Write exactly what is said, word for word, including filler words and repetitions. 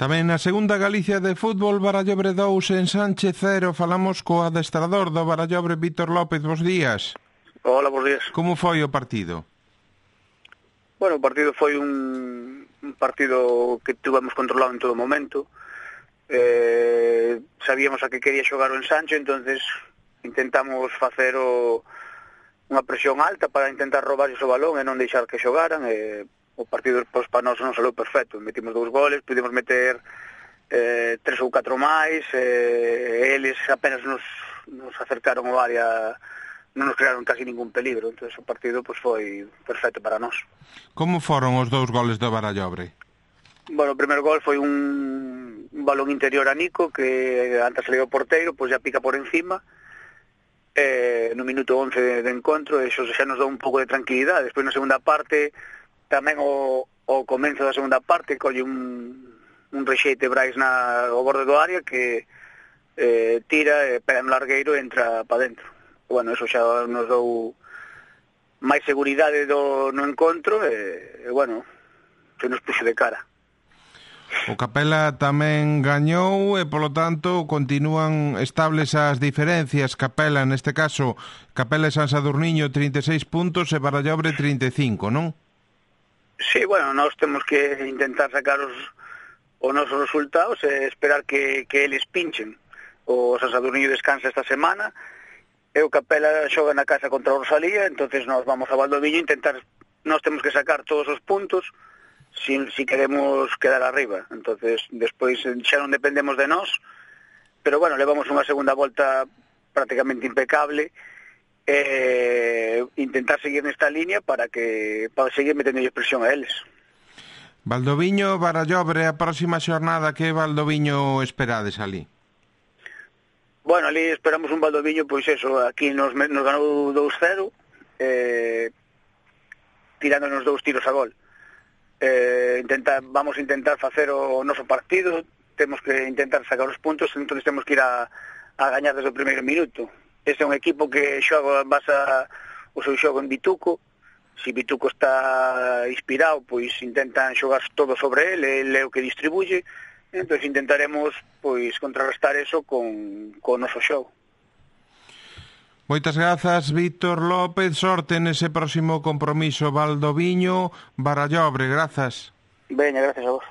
Tamén na segunda Galicia de fútbol, Barallobre dous en Sánchez cero. Falamos co adestrador do Barallobre, Vítor López. Bos días. Hola, bos días. Como foi o partido? Bueno, o partido foi un, un partido que tivemos controlado en todo momento. Eh, sabíamos a que quería xogar o Ensancho, entonces intentamos facer o, unha presión alta para intentar robar o balón e non deixar que xogaran. E o partido pois, para nós non salou perfecto. Metimos dous goles, pudimos meter eh, tres ou catro máis, e eles apenas nos, nos acercaron ao área, non nos crearon casi ningún peligro. Entonces o partido pois, foi perfecto para nós. Como foron os dous goles do Barallobre? Bueno, o primer gol foi un, un balón interior a Nico, que antes salió o porteiro, pois ya pica por encima, eh, no minuto once de, de encontro, e iso xa nos dá un pouco de tranquilidade. Despois na segunda parte, tamén o, o comenzo da segunda parte, colle un, un rexeite Brais na, ao borde do área, que eh, tira, e pega no largueiro e entra para dentro. Bueno, eso xa nos dou máis seguridade do, no encontro, e, e bueno, se nos puxo de cara. O Capela tamén gañou e, polo tanto, continúan estables as diferencias. Capela, neste caso, Capela e San Sadurniño trinta e seis puntos e Barallobre trinta e cinco, non? Sí, bueno, nós temos que intentar sacar os, os nosos resultados e esperar que, que eles pinchen. O San Sadurniño descansa esta semana e o Capela xoga na casa contra o Rosalía, entonces nós vamos a Valdoviño intentar, nós temos que sacar todos os puntos si, si queremos quedar arriba. Entonces despois xa non dependemos de nós, pero bueno, levamos unha segunda volta prácticamente impecable, e intentar seguir nesta línea para que para seguir metendo presión a eles. Valdoviño, Barallobre, a próxima xornada, que Valdoviño esperades ali? Bueno, ali esperamos un Valdoviño, pois eso, aquí nos, nos ganou dous cero, eh, tirándonos dous tiros a gol. Eh, intentar, vamos a intentar facer o noso partido, temos que intentar sacar os puntos, entón temos que ir a, a gañar desde o primeiro minuto. Este é un equipo que xoga, basa o seu xogo en Bituco. Se Bituco está inspirado, pois intentan xogar todo sobre ele, ele é o que distribuye. Entón intentaremos pois contrarrestar eso con, con o noso xogo. Moitas grazas, Vítor López. Sorte nese próximo compromiso Valdoviño, Barallobre. Grazas. Veña, gracias a vos.